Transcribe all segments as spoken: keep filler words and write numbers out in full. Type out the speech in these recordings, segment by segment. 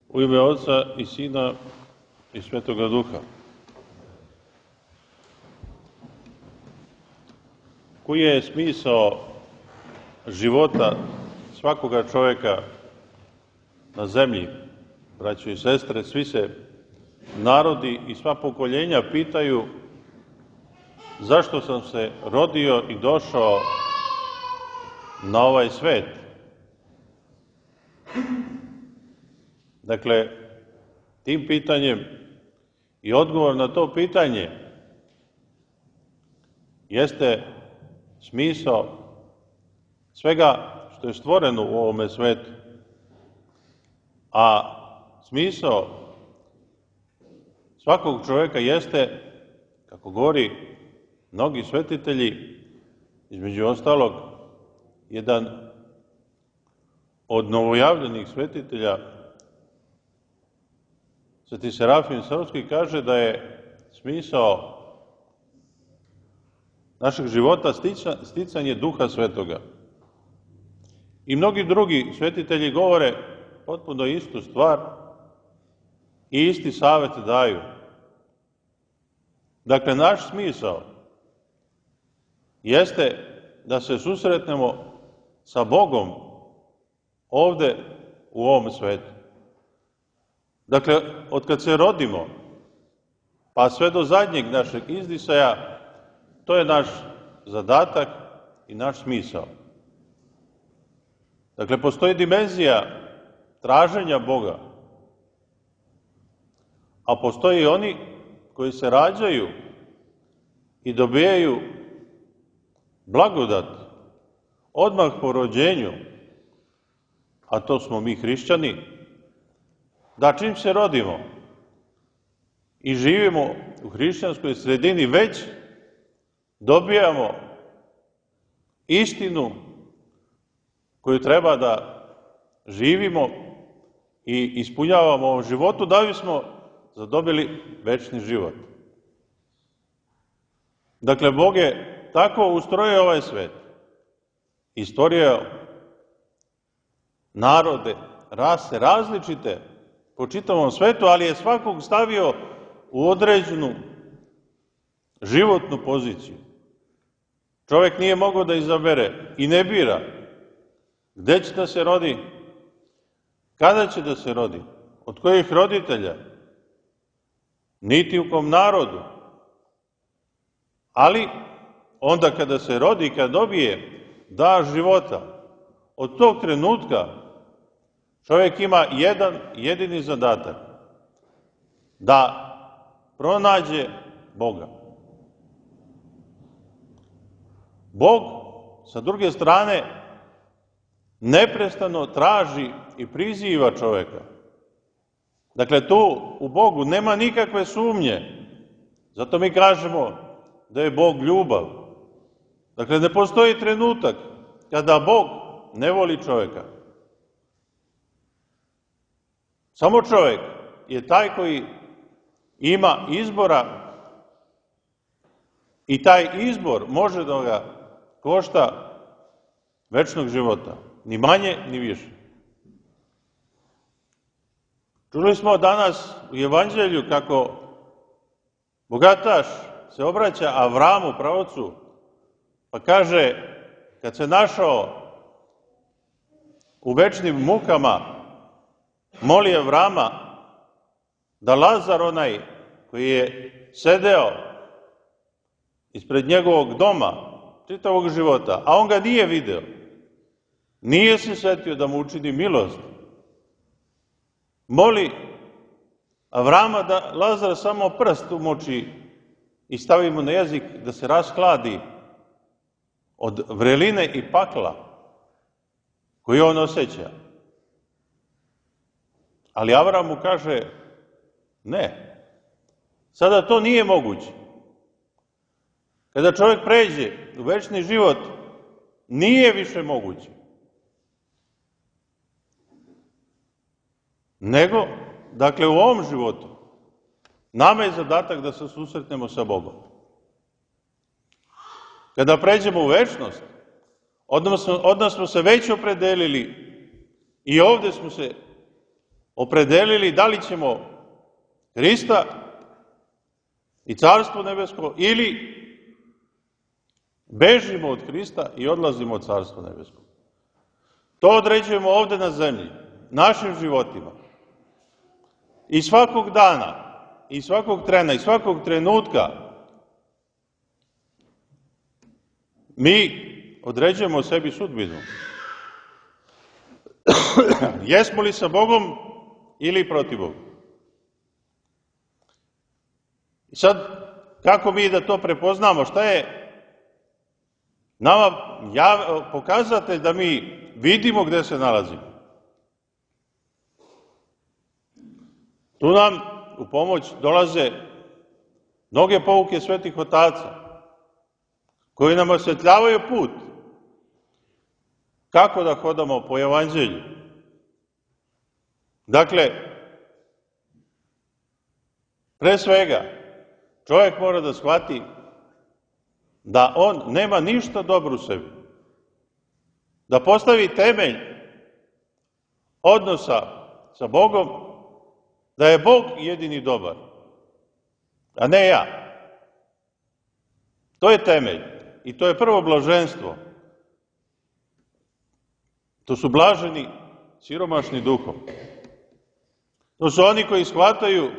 U ime Oca i Sina i Svetoga Duha. Koji je smisao života svakoga čovjeka na zemlji, braćo i sestre? Svi se narodi i sva pokoljenja pitaju zašto sam se rodio i došao na ovaj svet. Dakle, tim pitanjem i odgovor na to pitanje jeste smisao svega što je stvoreno u ovome svetu. A smisao svakog čovjeka jeste, kako govori mnogi svetitelji, između ostalog, jedan od novojavljenih svetitelja, Sveti Serafim Sarovski, kaže da je smisao našeg života sticanje Duha Svetoga. I mnogi drugi svetitelji govore potpuno istu stvar i isti savjet daju. Dakle, naš smisao jeste da se susretnemo sa Bogom ovde u ovom svetu. Dakle, od kad se rodimo, pa sve do zadnjeg našeg izdisaja, to je naš zadatak i naš smisao. Dakle, postoji dimenzija traženja Boga, a postoji i oni koji se rađaju i dobijaju blagodat odmah po rođenju, a to smo mi hrišćani, da čim se rodimo i živimo u hrišćanskoj sredini, već dobijamo istinu koju treba da živimo i ispunjavamo u ovom životu, da bismo zadobili večni život. Dakle, Bog je tako ustrojio ovaj svet i stvorio narode, rase, različite po čitavom svetu, ali je svakog stavio u određenu životnu poziciju. Čovjek nije mogao da izabere i ne bira gde će da se rodi, kada će da se rodi, od kojih roditelja, niti u kom narodu. Ali onda kada se rodi i kada dobije dar života, od tog trenutka čovjek ima jedan jedini zadatak, da pronađe Boga. Bog, sa druge strane, neprestano traži i priziva čovjeka. Dakle, tu u Bogu nema nikakve sumnje. Zato mi kažemo da je Bog ljubav. Dakle, ne postoji trenutak kada Bog ne voli čovjeka. Samo čovjek je taj koji ima izbora i taj izbor može da ga košta večnog života. Ni manje, ni više. Čuli smo danas u Evanđelju kako bogataš se obraća Avramu, praocu, pa kaže, kad se našao u večnim mukama, moli Avrama da Lazar, onaj koji je sedeo ispred njegovog doma čitavog života, a on ga nije video, nije se setio da mu učini milost, moli Avrama da Lazar samo prst umoči i stavi mu na jezik da se rashladi od vreline i pakla koju on osjeća. Ali Avram mu kaže, ne, sada to nije moguće. Kada čovjek pređe u večni život, nije više moguće. Nego, dakle, u ovom životu, nama je zadatak da se susretnemo sa Bogom. Kada pređemo u večnost, odnosno smo se već opredelili i ovde smo se opredelili da li ćemo Hrista i Carstvo nebesko ili bežimo od Hrista i odlazimo od Carstva nebeskog. To određujemo ovde na zemlji, našim životima. I svakog dana, i svakog trena, i svakog trenutka mi određujemo sebi sudbinu. Jesmo li sa Bogom ili protiv Boga? I sad, kako mi da to prepoznamo? Šta je nama pokazatelj da mi vidimo gde se nalazimo? Tu nam u pomoć dolaze mnoge pouke svetih otaca, koji nam osvetljavaju put kako da hodamo po evanđelju. Dakle, pre svega, čovjek mora da shvati da on nema ništa dobro u sebi. Da postavi temelj odnosa sa Bogom, da je Bog jedini dobar, a ne ja. To je temelj i to je prvo blaženstvo. To su blaženi, siromašni duhom. To su oni koji shvataju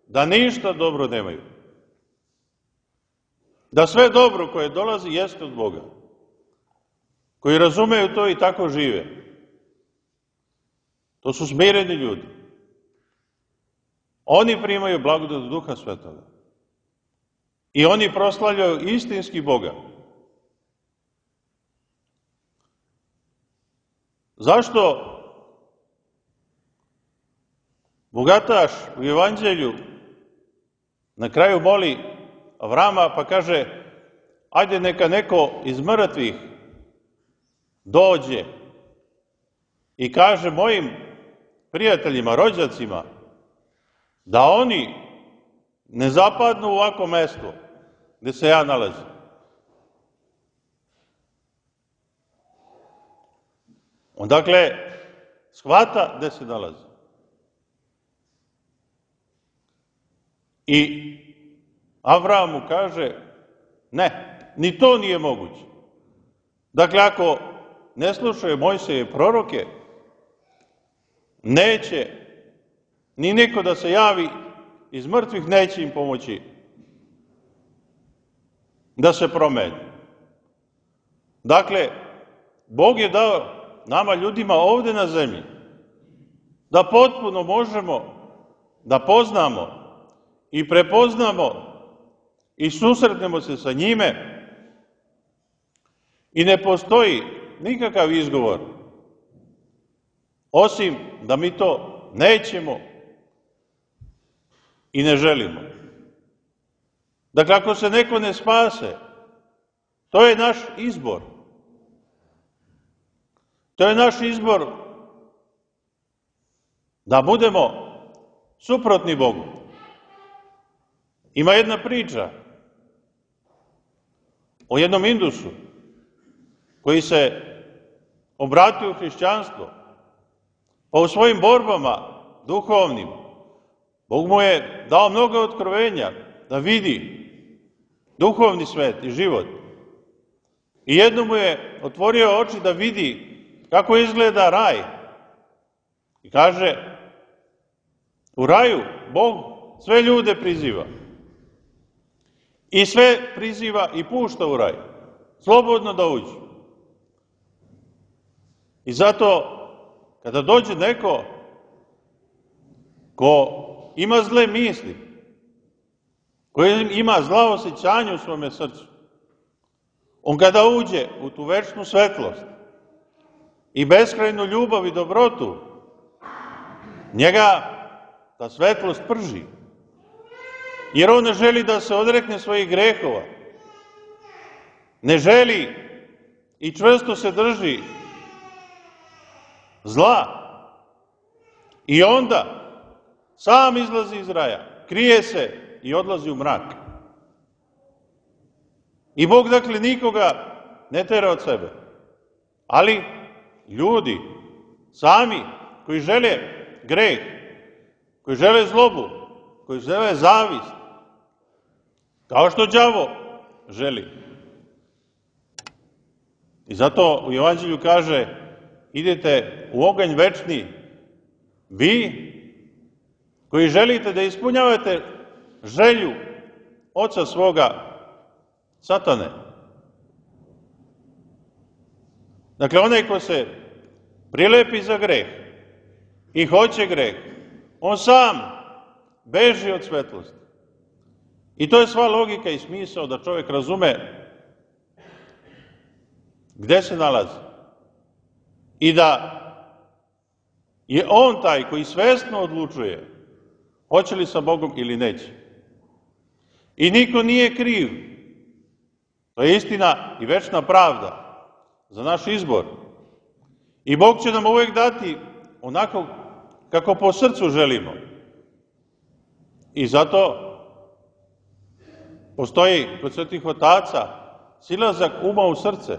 da ništa dobro nemaju. Da sve dobro koje dolazi jeste od Boga. Koji razumeju to i tako žive. To su smireni ljudi. Oni primaju blagodat Duha Svetoga. I oni proslavljaju istinski Boga. Zašto bogataš u evanđelju na kraju moli Avrama pa kaže: ajde neka neko iz mrtvih dođe i kaže mojim prijateljima, rođacima, da oni ne zapadnu u ovako mesto gde se ja nalazim. On dakle shvata gde se nalazi. I Avram mu kaže: ne, ni to nije moguće. Dakle, ako ne slušaju Mojsije proroke, neće ni niko da se javi iz mrtvih, neće im pomoći da se promeni. Dakle, Bog je dao nama ljudima ovde na zemlji da potpuno možemo da poznamo i prepoznamo i susretnemo se sa njime i ne postoji nikakav izgovor osim da mi to nećemo i ne želimo. Dakle, ako se neko ne spase, to je naš izbor. To je naš izbor da budemo suprotni Bogu. Ima jedna priča o jednom Indusu koji se obratio u hrišćanstvo, pa u svojim borbama duhovnim Bog mu je dao mnogo otkrovenja da vidi duhovni svet i život. I jedno mu je otvorio oči da vidi kako izgleda raj. I kaže: u raju Bog sve ljude priziva. I sve priziva i pušta u raj. Slobodno da uđu. I zato, kada dođe neko ko ima zle misli, koji ima zla osjećanja u svome srcu, on kada uđe u tu večnu svetlost i beskrajnu ljubav i dobrotu, njega ta svetlost prži. Jer on ne želi da se odrekne svojih grehova. Ne želi i čvrsto se drži zla. I onda sam izlazi iz raja, krije se i odlazi u mrak. I Bog dakle nikoga ne tera od sebe. Ali ljudi sami koji žele greh, koji žele zlobu, koji žele zavist, kao što đavo želi. I zato u Evanđelju kaže, idete u oganj večni, vi koji želite da ispunjavate želju oca svoga, Satane. Dakle, onaj ko se prilepi za greh i hoće greh, on sam beži od svetlosti. I to je sva logika i smisao da čovjek razume gde se nalazi i da je on taj koji svesno odlučuje hoće li sa Bogom ili neće. I niko nije kriv. To je istina i večna pravda za naš izbor. I Bog će nam uvek dati onako kako po srcu želimo. I zato postoji kod svetih otaca silazak uma u srce,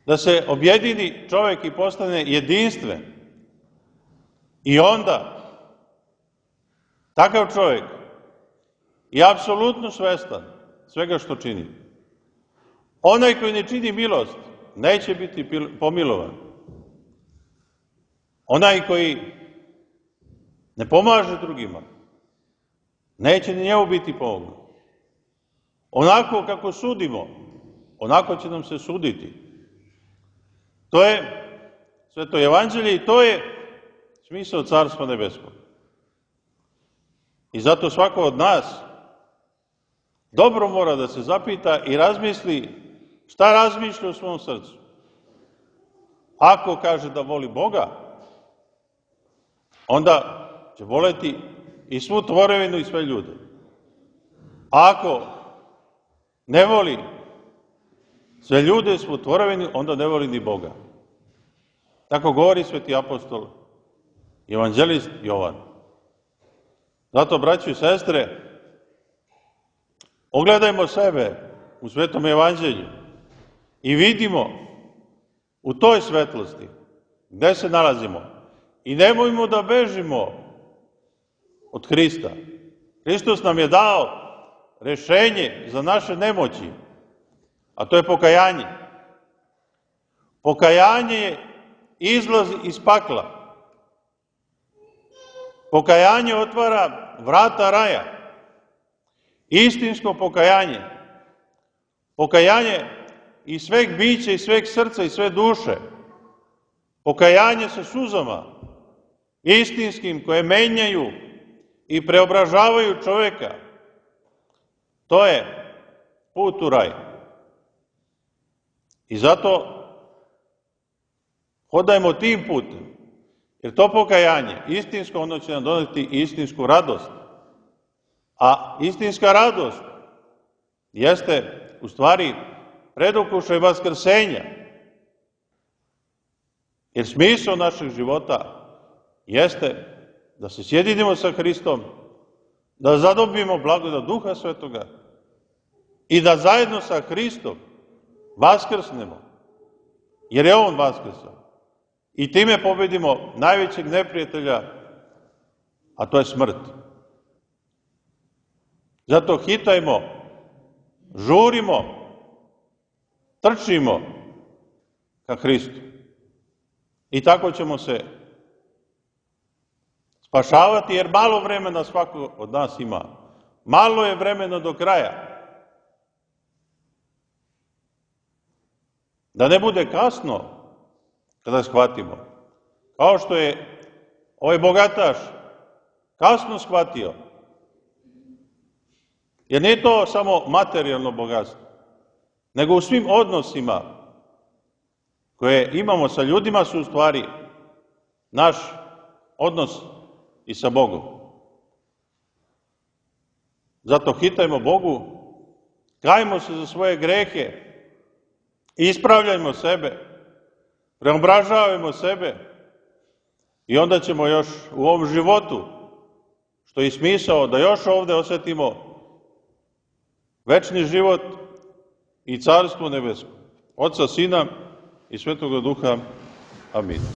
da se objedini čovjek i postane jedinstven. I onda takav čovjek je apsolutno svestan svega što čini. Onaj koji ne čini milost neće biti pomilovan. Onaj koji ne pomaže drugima neće ni njemu biti pomogno. Onako kako sudimo, onako će nam se suditi. To je Sveto Evanđelje i to je smisao Carstva nebeskog. I zato svako od nas dobro mora da se zapita i razmisli šta razmišlja u svom srcu. Ako kaže da voli Boga, onda će voleti i svu tvorevinu i sve ljude. Ako ne voli sve ljude, svu tvorevinu, onda ne voli ni Boga. Tako govori sveti apostol, evanđelist Jovan. Zato, braćo i sestre, ogledajmo sebe u Svetom Evanđelju i vidimo u toj svetlosti gde se nalazimo i nemojmo da bežimo od Hrista. Hristos nam je dao rešenje za naše nemoći, a to je pokajanje. Pokajanje je izlaz iz pakla. Pokajanje otvara vrata raja. Istinsko pokajanje. Pokajanje i sveg bića i sveg srca i sve duše. Pokajanje sa suzama, istinskim, koje menjaju i preobražavaju čoveka. To je put u raj. I zato hodajmo tim putem. Jer to pokajanje, istinsko, ono će nam doneti istinsku radost. A istinska radost jeste u stvari predukušaj vaskrsenja. Jer smisao našeg života jeste da se sjedinimo sa Hristom, da zadobijemo blagodat Duha Svetoga i da zajedno sa Hristom vaskrsnemo, jer je On vaskrsao. I time pobedimo najvećeg neprijatelja, a to je smrt. Zato hitajmo, žurimo, trčimo ka Hristu. I tako ćemo se spašavati, jer malo vremena svako od nas ima. Malo je vremena do kraja. Da ne bude kasno kada shvatimo. Kao što je ovaj bogataš kasno shvatio. Jer nije to samo materijalno bogatstvo, nego u svim odnosima koje imamo sa ljudima su u stvari naš odnos i sa Bogom. Zato hitajmo Bogu, kajmo se za svoje grehe, ispravljajmo sebe, preobražavajmo sebe i onda ćemo još u ovom životu, što je smisao da još ovde osetimo večni život i Carstvo nebesko. Oca, Sina i Svetoga Duha. Amin.